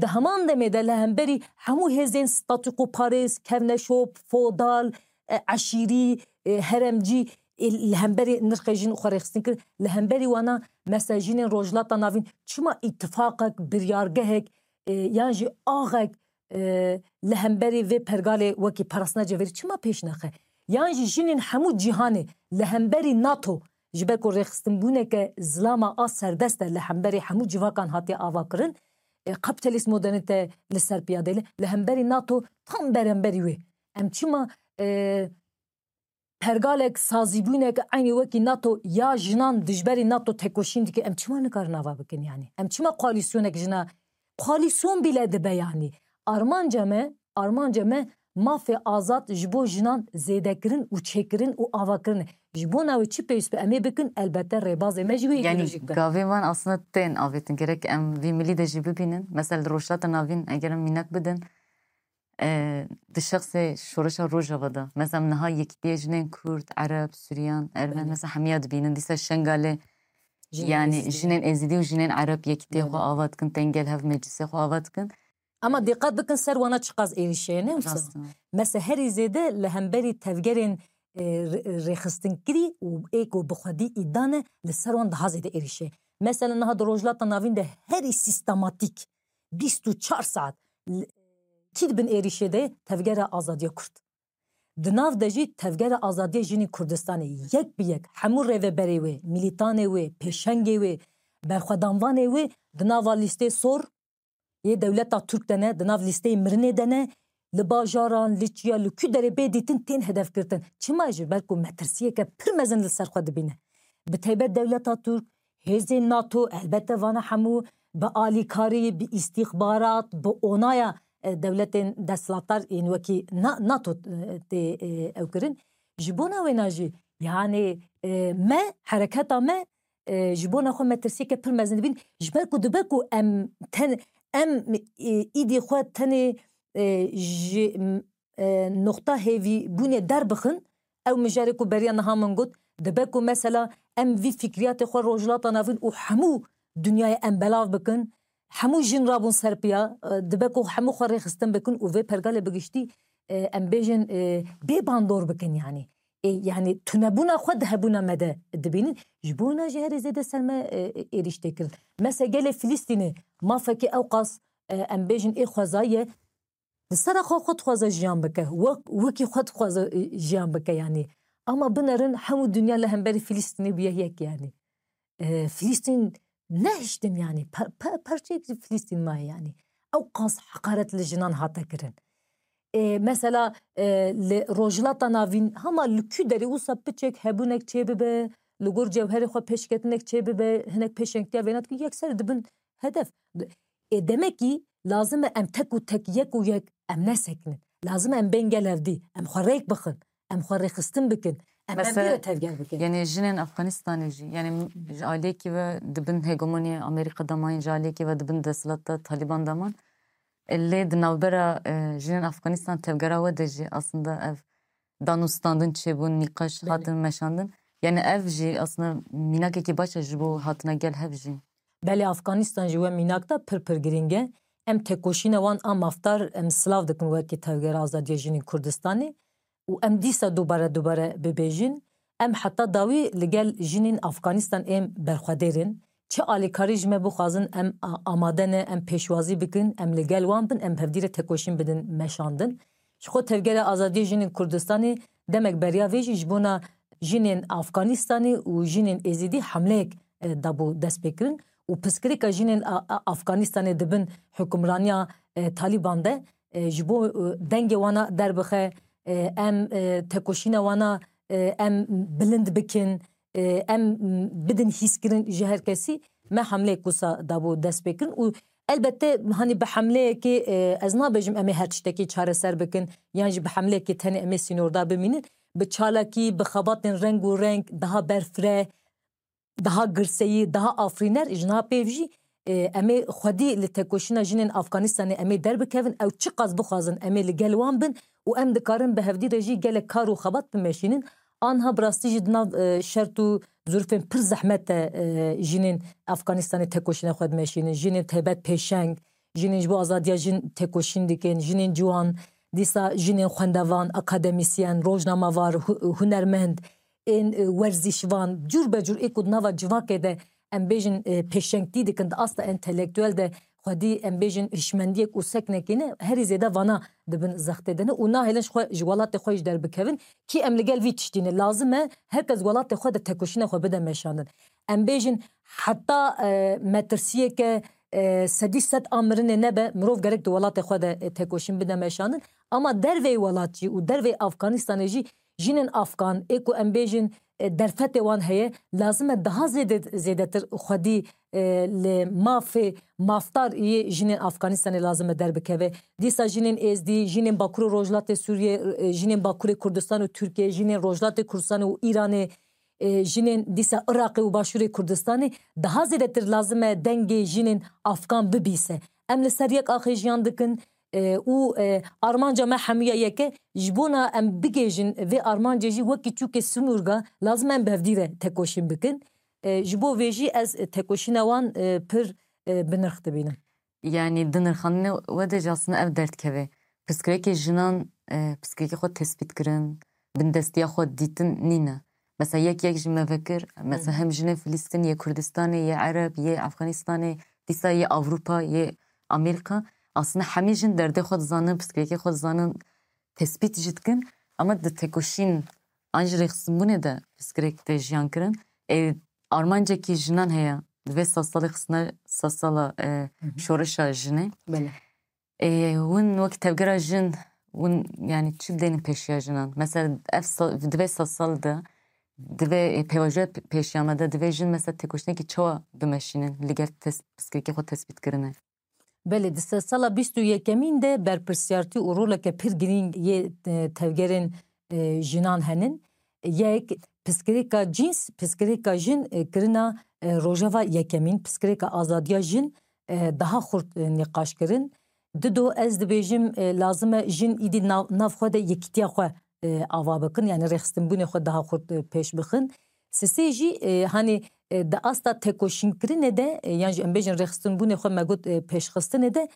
Di heman demê de li hemberî hemû hêzên statûkoparêz, kevneşop, fodal, e, eşîrî, e, heremcî, e, li hemberî nirxê jin xwe rêxistin kir. Li hemberî wana mesela jinên Rojhilata Navîn çima îtifaqek, biryargehek, e, yan jî axek, e, li hemberî vê pergalê wekî parastina cevherî çima pêş nexe? Yan jî jinên hemû cîhanê li hemberî nato, ji ber ku rêxistinbûneke zilama a serdest e, li hemberî hemû civakan hatiye avakirin, e, kapîtalîst modernîte li ser piyade ye, li hemberî nato tam beremberî wê. Em çima, e, pergalek, sazîbûnek eynî wekî nato ya jinan dijberî nato tekoşîn dike, em çima nikarin ava bikin yanî? Em çima koalîsyonek jina, koalîsyon bîle dibe yanî? Armanca me, armanca me mafê azad ji bo jinan zêdekirin û çêkirin û avakirin e. Ji bona wê çi pêwîst be em ê bikin, elbette rêbazê me jî wê, yanî îdeolojîk be. Gavên van aslında tên avêtin, gerek em vî milî de jî bibînin. Mesela li Rojhilata Navîn eger em mînak bidin, e, di şexsê şoreşa Rojava de. Mesela em niha yekîtiyê jinên Kurd, Ereb, Suryan, Ermen, belê, mesela hemiya dibînin. Dîsa Şengalê, yanî jinên Êzidî û jinên Ereb yekîtiyê xwe ava dikin, tên gel hev meclisê xwe ava dikin. Ama dîqet bikin ser wana çiqas êrîş heye, ne wisa? Rast e. Mesela herî zêde li hemberî tevgerên, e, rê-, rêxistinkirî û ê ku bi xwedî îda ne, li ser wan daha zêde êrîşê. Mesela niha di Rojhilata Navîn de herî sîstematîk bîst û çar saet l-, kî di bin êrîşê de ye? Tevgera Azadiya Kurd. Di nav de jî Tevgera Azadiya Jinên Kurdistanê yek bi yek hemû rêveberê wê, milîtanê wê, pêşengê wê, berxwedanvanê wê di nava lîstê sor yê dewleta Tirk de ne, di nav lîsteyê mirinê de ne, li bajaran, li çiya, li ku derê bê dîtin tên hedefgirtin. Çima? Ji ber ku metirsiyeke pir mezin li ser xwe dibîne. Bi taybet dewleta Tirk, hêzên NATO, elbette vana hemû bi alîkarî, bi îstîxbarat, bi onaya, e, dewletên desthilatdar yên wekî Na-, NATO, e, tê, e, ew kirin. Ji bona wêna jî, yani, e, me, hereketa me, e, ji bona xwe metirsiyeke pir mezin dibîn. Ji ber ku dibe ku em ten-, em, e, îdî xwe tenê, e, ji, m-, e, noqta hêvîbûnê derbixin, ew mijarê ku beriya niha min got, dibe ku mesela em vî fikriyatê xwe Rojhilata Navîn û hemû dinyayê em belav bikin, hemû jin rabûn ser piya, e, dibe ku hemû xwe rêxistin bikin û vê pergalê bi giştî, e, em bêjin, e, bê bandor bikin yani. E, yani tunebûna xwe di hebûna me de dibînin. Ji bo wina jî herî zêde ser me, e, êrîş tê kirin. Mesela gelê Filistînê mafekî ewqas, e, em bêjin ê xwezayî ye. Li sera xwe xwe dixwaze jiyan bike. Wek, wekî xwe dixwaze, e, jiyan bike yani. Ama binerin hemû dinya li hemberî Filistînê bûye yek yani. E, Filistîn nehiştin yani. Pe-, pe-, parçeyek ji Filistîn maye yani. Ewqas heqaret li jinan hate kirin. E, mesela, e, li Rojhilata Navîn hema li ku derê wisa piçek hebûnek çêbibe, li gor cewherê xwe pêşketinek çêbibe, hinek pêşengtiya vêna dikin, yekser dibin hedef. E, demekî lazim e em tek û tek, yek û yek em nesekinin. Lazim e em bên gel hevdî, em xwe rêk bixin, em xwe rêxistin bikin, em Mesela, hevdî re tevger bikin. Yani jinên Afganistanê jî, yani ji aliyekî ve dibin hegemoniya Amerîka de man, ji aliyekî ve dibin desthilata Taliban de man. E, lê di navbera, e, jinên Afganistan tevgera we de jî aslında ev danûstandin çêbûn, nîqaş Belê. hatin meşandin. Yani ev jî aslında mînakekî baş e ji bo hatina gel hev jî. Belê, Afganistan ji we mînak de pir pir girîng e. Em têkoşîna wan a mafdar em silav dikin wekî Tevgera Azadiya Jinên Kurdistanê û em dîsa dubare dubare bibêjin. Em heta dawî li gel jinên Afganistan êm berxwedêr in. Çi alîkarî ji me bixwazin, em a-, amade ne, em pêşwazî bikin, em li gel wan bin, em hevdî re têkoşîn bidin meşandin. Ji xwe Tevgera Azadiya Jinên Kurdistanê demek beriya vê jî ji bona jinên Afganistanê û jinên Êzidî hemleyek, e, dabû destpêkirin û piskirêka jinên a, a, Afganistanê di bin hukimraniya, e, Talîban de, e, ji bo, e, dengê wana derbixe, e, em, e, têkoşîna wana, e, em bilind bikin, e, em bidin hîskirin ji her kesî, me hemleyek wisa dabû destpêkirin û elbette, hanî bi hemleyekê, e, ez nabêjim em ê her tiştekî çareser bikin, yan jî bi hemleyekê tenê em ê sînordar bimînin. Bi çalakî, bi xebatên reng û reng, daha berfireh, daha girseyî, daha afirîner, ji niha pêv jî, e, em ê xwedî li têkoşîna jinên Afganistanê em ê derbikevin, ew çiqas bixwazin, em ê li gel wan bin û em dikarin bi hevdî re jî gelek kar û xebat bimeşînin. Anha bi rastî jî di nav, e, şert û zirûfên pir zehmet de, e, jinên Afganistanê têkoşîna xwe dimeşînin. Jinên taybet pêşeng, jinên ji bo azadiya jin têkoşîn dikin, jinên ciwan, dîsa jinên xwendevan, akademîsyen, rojnamevar, hu-, hunermend, ên, e, werzîşvan, cûr be cûr ê ku di nava civakê de em bêjin, e, pêşengtî dikin, di asta entelektuel de xwedî em bêjin hişmendiyek û seknekê ne, herî zêde vana di bin zextê de ne û nahêlin ji xwe, ji welatê xwe jî derbikevin. Kî em li gel vî tiştî ne, lazim e her kes welatê xwe de têkoşîna xwe bide meşandin. Em bêjin heta, e, metirsiyeke, e, sedî sed a mirinê nebe, mirov gerek di welatê xwe de, e, têkoşîn bide meşandin. Ama derveyî welat jî û derveyî Afganistanê jî jinên Afgan, ê ku em bêjin, e, derfetê wan heye, lazim e daha zêde, zêdetir xwedî, e, li mafê mafdar yê jinên Afganistanê lazim e derbikeve. Dîsa jinên Êzdî, jinên Bakur û Rojhilatê Sûriyê, e, jinên Bakurê Kurdistan û Tirkiye, jinên Rojhilatê Kurdistan û Îranê, e, jinên dîsa Iraqê û Başûrê Kurdistanê daha zêdetir lazim e dengê jinên Afgan bibîse. Em li ser yek axê jiyan dikin, e, û, e, armanca me hemûya yek e. Ji bona em bigihêjin vê armancê jî wekî çûkê Simûrga lazim e em bi hevdî re têkoşîn bikin. E, ji bo vê jî ez têkoşîna wan, e, pir, e, bi nirx dibînim. Yani di nirxandinê we de jî aslında ev derdikeve. Pirsgirêkê jinan, e, pirsgirêkê xwe tespît kirin, bindestiya xwe dîtin nîne. Mesela yek yek ji me vekir, mesela hem jinên Filistîn, yê Kurdistanê, yê Ereb, yê Efxanistanê, dîsa yê Ewropa, yê Amerîka. Aslında hemî jin derdê xwe dizanin, piskirêkê xwe dizanin, tespît jî dikin. Ama di tekoşîn an ji rêxistinbûnê de piskirêk tê jiyan kirin. Ê, armancekî jinan heye. Di vê sed salê xistine sed sala, e, Hı hı. şoreşa jinê. Belê. Ê, hûn wek tevgera jin, hûn, yani, çi dênin pêşiya jinan? Mesela, ev sa-, di vê sed sal de, di vê, ê, pêvajoya pe-, pêşiya me de, divê jin, mesela, têkoşînekî çawa bimeşînin, li gel tes-, piskirêkê xwe tespît kirine? Belê, di sedsala bîst û yekemîn de berpirsiyartî û roleke pir girîng yê, e, tevgerên, e, jinan henin. Yek, piskirêka cîns, piskirêka jin, e, kirina, e, rojeva yekemîn, piskirêka azadiya jin, e, daha xurt, e, nîqaş kirin. Dido, ez dibêjim, e, lazim e jin îdî nav, nav xwe de yekîtiya xwe, e, ava bikin, yani rêxistinbûnê xwe daha xurt, e, pêş bixin. Sisê jî, e, hani, e, di asta tekoşînkirinê de, e, yan jî em bêjin rêxistinbûnê xwe me got, e, pêşxistinê de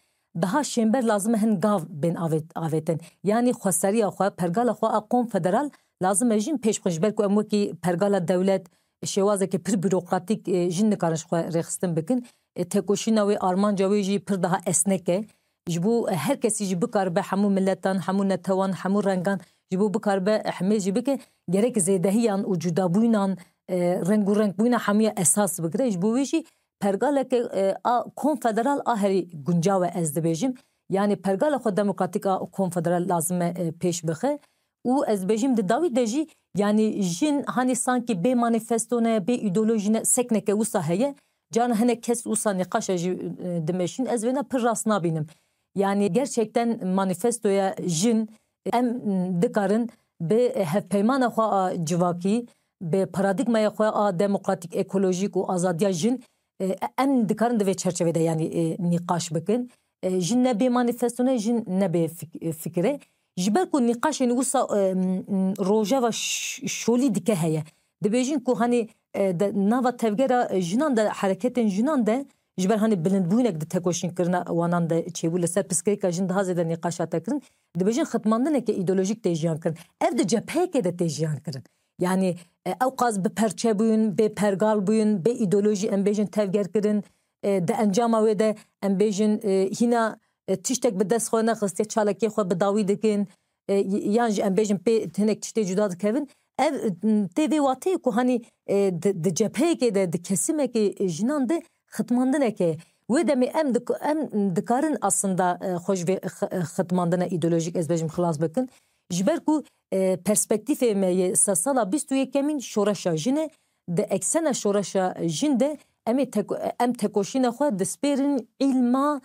daha şênber lazim e hin gav bên avêt-, avêtin. Yani xweseriya xwe, pergala xwe a konfederal lazim e jin pêş bixin. Ji ber ku em wekî pergala dewlet, şêwazeke pir bürokratîk, e, jin nikarin ji xwe rêxistin bikin. E, tekoşîna wê, armanca wê jî pir daha esnek e. Ji bo her kesî jî bikaribe, hemû miletan, hemû netewan, hemû rengan, ji bo bikaribe ehmê jî bike, gerek zêdehiyan û cudabûyînan, e, reng û renkbûyîna hemûya esas bigire. Ji bo wê jî pergaleke, e, a konfederal a herî guncaw e, ez dibêjim. Yani pergala xwe demokratîk a konfederal lazim e, e, pêş bixe. Û ez dibêjim di dawî de jî, yani jin hani sankî bê manîfesto ne, bê îdeolojî ne, sekneke wisa heye. Carna hinek kes wisa nîqaşa jî, e, dimeşîn. Ez vêna pir rast nabînim. Yani gerçekten manîfestoya jin em dikarin bi hevpeymana xwe a civakî, bi paradîgmaya xwe a demokratîk, ekolojîk û azadiya jin, e, em dikarin di vê çerçevê de, yani, e, nîqaş bikin. E, jin ne bê manîfesto ne, jin ne bê fik-, fikir e. Ji ber ku nîqaşên wisa, e, m, m, rojeva ş-, şolî dike heye. Dibêjin ku hani, e, de, nava tevgera, e, jinan de, hereketên jinan de, ji ber hani bilindbûynek di tekoşînkirina wanan de çêbû, li ser piskirêka jin daha zêde nîqaş hate kirin. Dibêjin xitmandineke îdeolojîk tê jiyan kirin. Ev di cepheyekê de tê jiyan kirin. Yani, e, ewqas bi perçe bûyun, bê pergal bûyun, bê îdeolojî em bêjin tevger kirin. E, di encama wê de em bêjin, e, hîna, e, tiştek bi dest xwe nexistiye, çalakiyê xwe bi dawî dikin. E, y-, yan jî em bêjin pê hinek tiştê cuda dikevin. Ev, m, tê vê wateyê ku hani, e, di, di cepheyekê de, di kesimekê, e, jinan de xitmandineke. Wê demê em dik-, em dikarin aslında, e, xwe ji vê x-, e, xitmandina îdeolojîk, ez bêjim, xilas bikin. Ji ber ku, e, perspektîfê me yê sedsala bîst û yekemîn şoreşa jin e, di eksena şoreşa jin de em ê tek-, em tekoşîna xwe dispêrin îlma,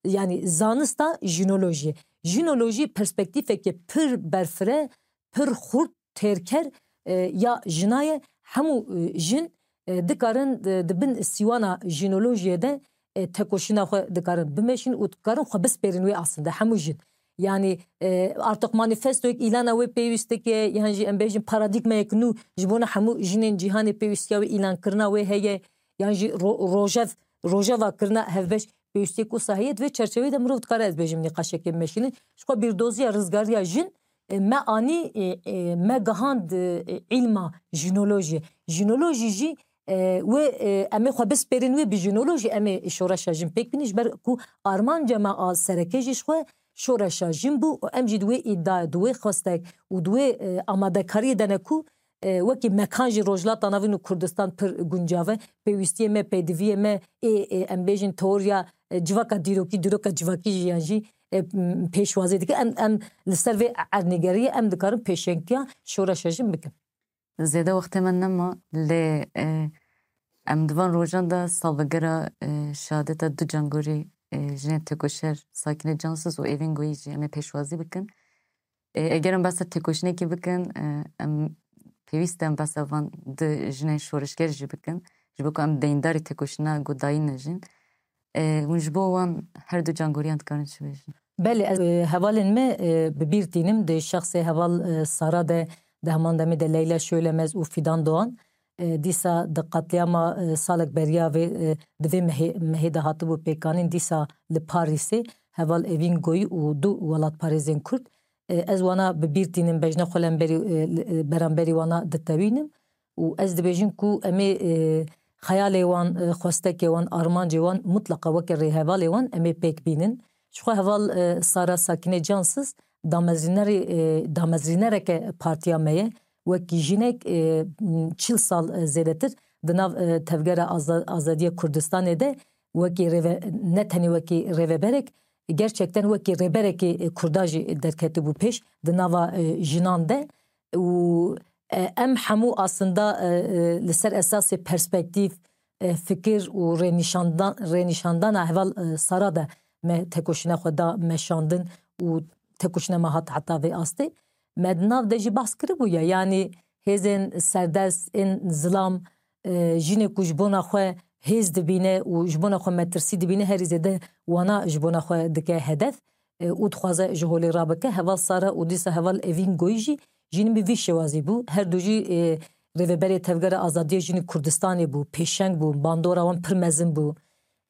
yani zanista jinolojiyê. Jinolojî perspektîfeke pir berfire, pir xurt, têrker, e, ya jina ye. Hemû, e, jin, e, dikarin, e, di bin sîwana jinolojiyê de, e, tekoşîna xwe dikarin bimeşin û dikarin xwe bispêrin wê aslında hemû jin. Yani, e, artık manifestoyek, îlana wê pêwîstik e, yan jî em bêjin paradîgmeyek nû ji bona hemû jinên cîhanê pêwîstiya wê îlankirina wê heye, yan jî ro-, rojev, rojeva kirina hevbeş pêwîstiyek wisa heye. Di vê çerçeveyê de mirov dikare, ez bêjim, nîqaşekê bimeşînin. Ji xwe bîrdoziya rizgariya jin, e, me anî, e, e, me gihand, e, îlma jinolojiyê. Jinolojî jî, e, wê, e, em ê xwe bispêrin wê bi jinolojî, em ê şoreşa jin pêk bînin, ji ber ku armanca me a sereke jî ji xwe şoreşa jin bû û em jî di wê îdia, di wê xwestek û di wê, e, amadekariyê de ne ku, e, wekî mekan jî Rojhilata Navîn û Kurdistan pir guncav e. Pêwîstiyê me, pêdiviyê me ê, ê, em bêjin teoriya, e, civaka dîrokî, dîroka civakî jî yan jî, e, m, pêşwazî dike. Em, em li ser vê erdnîgeriyê em dikarin pêşengtiya şoreşa jin bikin. Zêde wextê me nema, lê, e, em di van rojan de salvegera, e, şehadeta du cangorî, e, jinên têkoşer Sakîne Cansiz û Evîn Goyî jî em ê pêşwazî bikin. E, eger em behsa têkoşînekê bikin, e, em pêwîst e em behsa van du jinên şoreşger jî bikin. Ji bo ku em deyndarî têkoşîna ku dayîn ne jin. E, hûn ji bo wan her du cangoriyan dikarin çi bêjin? Belê, ez, e, hevalên me, e, bi bîr tînim di şexsê heval, e, Sara de, di heman demê de Leyla Şölemez û Fidan Doğan. E, dîsa di qetlîama, e, salek beriya vê, e, di vê mehê, mehê de hatibû pêkanîn, dîsa li Parîsê heval Evîn Goyî û du welatparêzên Kurd, E, ez wana bi bîr tînim, bejna xwe lemberî, e, li, e, beramberî wana ditewînim û ez dibêjim ku em ê, e, xeyalê wan, e, xwestekê wan, armancê wan mutlaqa weke rêhevalê wan em ê pêk bînin. Ji xwe heval, e, Sara Sakîne Cansiz damezrînerê, e, damezrînereke partiya me ye. Wekî jinek, e, çil sal, e, zêdetir di nav, e, Tevgera Aza-, Azadiya Kurdistanê de wekî rêve-, ne tenê wekî rêveberek, gerçekten wekî rêberekî, e, Kurda jî derketibû pêş di nava, e, jinan de. Û, e, em hemû aslında, e, e, li ser esasê perspektîf, e, fikir û rênîşandan-, rênîşandana heval, e, Sara de me tekoşîna xwe da meşandin û tekoşîna me hat heta vê astê. Me di nav de jî behs kiribû ya, yanî hêzên serdest, ên zilam, e, jinê ku ji bona xwe hêz dibîne û ji bona xwe metirsî dibîne, herî zêde wana ji bona xwe dike hedef, e, û dixwaze ji holê rabike. Heval Sara û dîsa heval Evîn Goyî jî jinî bi vî şêwazî bû. Her du jî, e, rêveberê Tevgera Azadiya Jinî Kurdistanê bû, pêşeng bû, bandora wan pir mezin bû.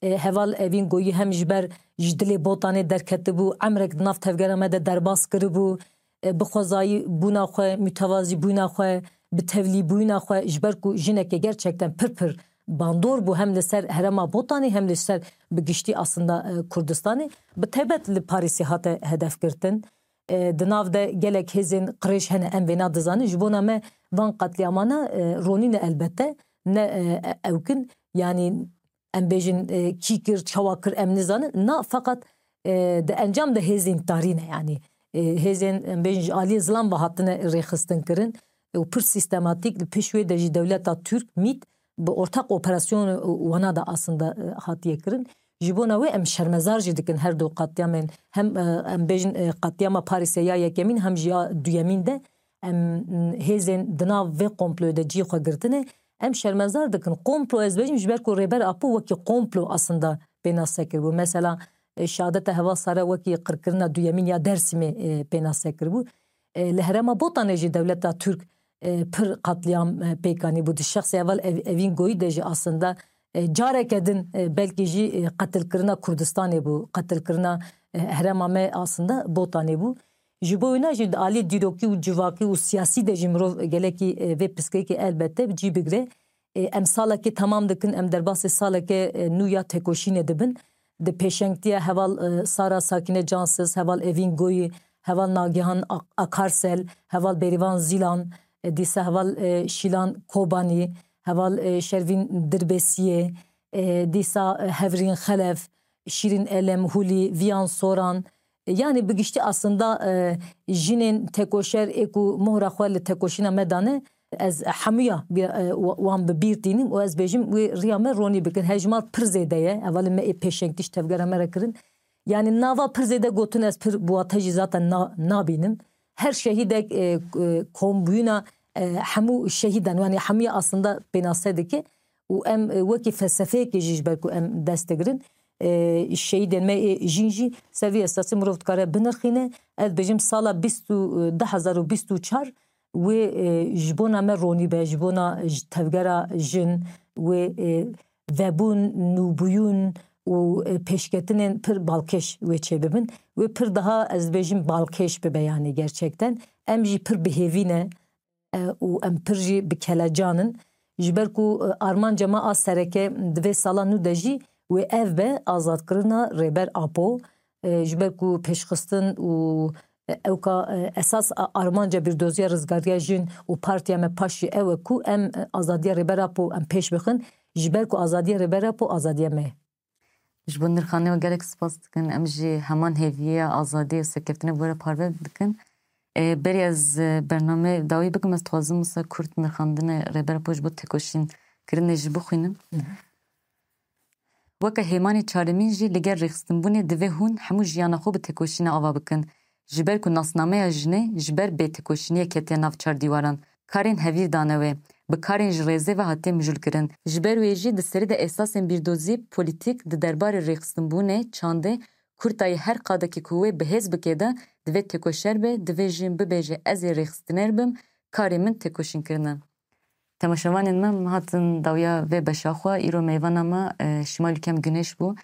E, heval Evîn Goyî hem ji ber ji dilê Botanê derketibû, emrek di nav tevgera me de derbas kiribû, e, bi xwezayî bûna xwe, mutevazî bûna xwe, bi tevlî bûna xwe, ji ber ku jineke gerçekten pir pir bandor bû, hem li ser herêma Botanê, hem li ser bi giştî aslında, e, Kurdistanê, bi taybet li Parîsê hate hedef girtin. E, di nav de gelek hêzên qirêj hene, em vêna dizanin. Ji bona me van qetlîamana, e, ronî ne elbette, ne, e, e, ewkin. Yanî em bêjin, e, kî kir, çawa kir, em nizanin. Na, feqet, e, di encam de hêzên tarî ne, yanî, e, hêzên, em bêjin, ji aliyê zilam ve hatine rêxistin kirin û pir sîstematîk li pêş wê de jî dewleta Türk, MIT, bi ortak operasyon wana de aslında, e, hatiye kirin. Ji bona wê em şermezar jî dikin her du qetlîamên, hem, e, em bêjin, e, qetlîama Parîsê ya yekemîn, hem jî ya duyemîn de em, m, hêzên di nav vê komployê de cihê xwe girtine. Em şermezar dikin. Komplo, ez bêjim, ji ber ku Rêber Apo wekî komplo aslında pênase kiribû. Mesela, e, şehadeta heval Sara wekî qirkirina duyemîn ya Dersimê, e, pênase kiribû. E, li herêma Botanê jî dewleta Türk, e, pir qetlîam, e, pêk anîbû. Di şexsê heval Ev-, Evîn Goyî de jî aslında, e, careke din, e, belkî jî, e, qetilkirina Kurdistanê bû, qetilkirina, e, herêma me aslında Botanê bû. Ji bo wina jî di alî dîrokî û civakî û siyasî de jî mirov gelekî, e, vê pirsgirêkê elbette bi cî bigire. E, em salekê temam dikin, em derbasê saleke, e, nû ya tekoşînê dibin. Di pêşengtiya heval, e, Sara Sakîne Cansiz, heval Evîn Goyî, heval Nagihan Ak-, Akarsel, heval Bêrîvan Zîlan, e, dîsa heval, e, Şîlan Kobanî, heval, e, Şervîn Dirbêsiyê, e, dîsa, e, Hevrîn Xelef, Şîrîn Elem Hulî, Viyan Soran, e, yanî bi giştî aslında, e, jinên tekoşer ê ku mohra xwe li tekoşîna me dane, ez hemûya bi, e, wa-, wan bi bîr tînim û ez bêjim wê riya me ronî bikin. Hejmar pir zêde ye. Hevalên me ê pêşengtî ji tevgera me re kirin. Yanî nava pir zêde gotin ez pir bi wate jî zaten na-, nabînim. Her şehîdek, e, e, kombûyîna, e, hemû şehîdan, yanî hemûya aslında pênase dike û em, e, wekî felsefeyekê jî ji ber ku em dest digirin, e, şehîdên me ê jîn jî ser vî esasî mirov dikare binirxîne. Ez dibêjim sala bîst û, e, du hezar û bîst û çar wê, e, ji bona me ronî be, ji bona ji tevgera jin wê, e, vebûn, nûbûyûn û, e, pêşketinên pir balkêş wê çêbibin. Wê pir daha, ez dibêjim, balkêş bibe, yanî gerçekten. Em jî pir bi hêvî ne, e, û em pir jî bi kelecan in. Ji ber ku, e, armanca me a sereke di vê sala nû de jî wê ev be, azadkirina Rêber Apo. E, ji ber ku pêşxistin û, e, ewka, e, esas a-, armanca bîrdoziya rizgariya jin û partiya me paş jî ew e ku em, e, azadiya Rêber Apo em pêş bixin. Ji ber ku azadiya Rêber Apo azadiya me ye. Ji bo nirxandinê we gelek spas dikin. Em jî heman hêviya azadiyê û serkeftinê bi we re parve dikin. Ê, berî ez, e, bername dawî bikim, ez dixwazim wisa kurt nirxandinê Rêber Apo ji bo têkoşîn kirinê jî bixwînim. Weke hêmanê çaremîn jî li gel rêxistinbûnê divê hûn hemû jiyana xwe bi têkoşînê ava bikin. Ji ber ku nasnameya jinê ji ber bêtêkoşîniyê ketiye nav çar dîwaran, karên hevîr dane wê, bi karên ji rêzê ve hatiye mijûlkirin. Ji ber wê jî di serî de esasên bîrdozî polîtîk di derbarê rêxistinbûnê, çandê, kurtayî her qadekî ku wê bi hêz bike de divê têkoşer be, divê jin bibêje, ez ê rêxistiner bim, karê min têkoşînkirin e. Temaşevanên me, em hatin dawiya vê beşa xwe. Îro mêvana me, e, Şimal Kem Güneş bû.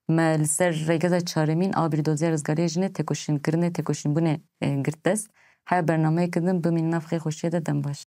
Me li ser rêgeza çaremîn a bîrdoziya rizgariya jinê têkoşînkirinê, têkoşînbûnê, e, girt dest. Heya bernameyeke din bimînin nav xêr xweşiyê de, dem baş.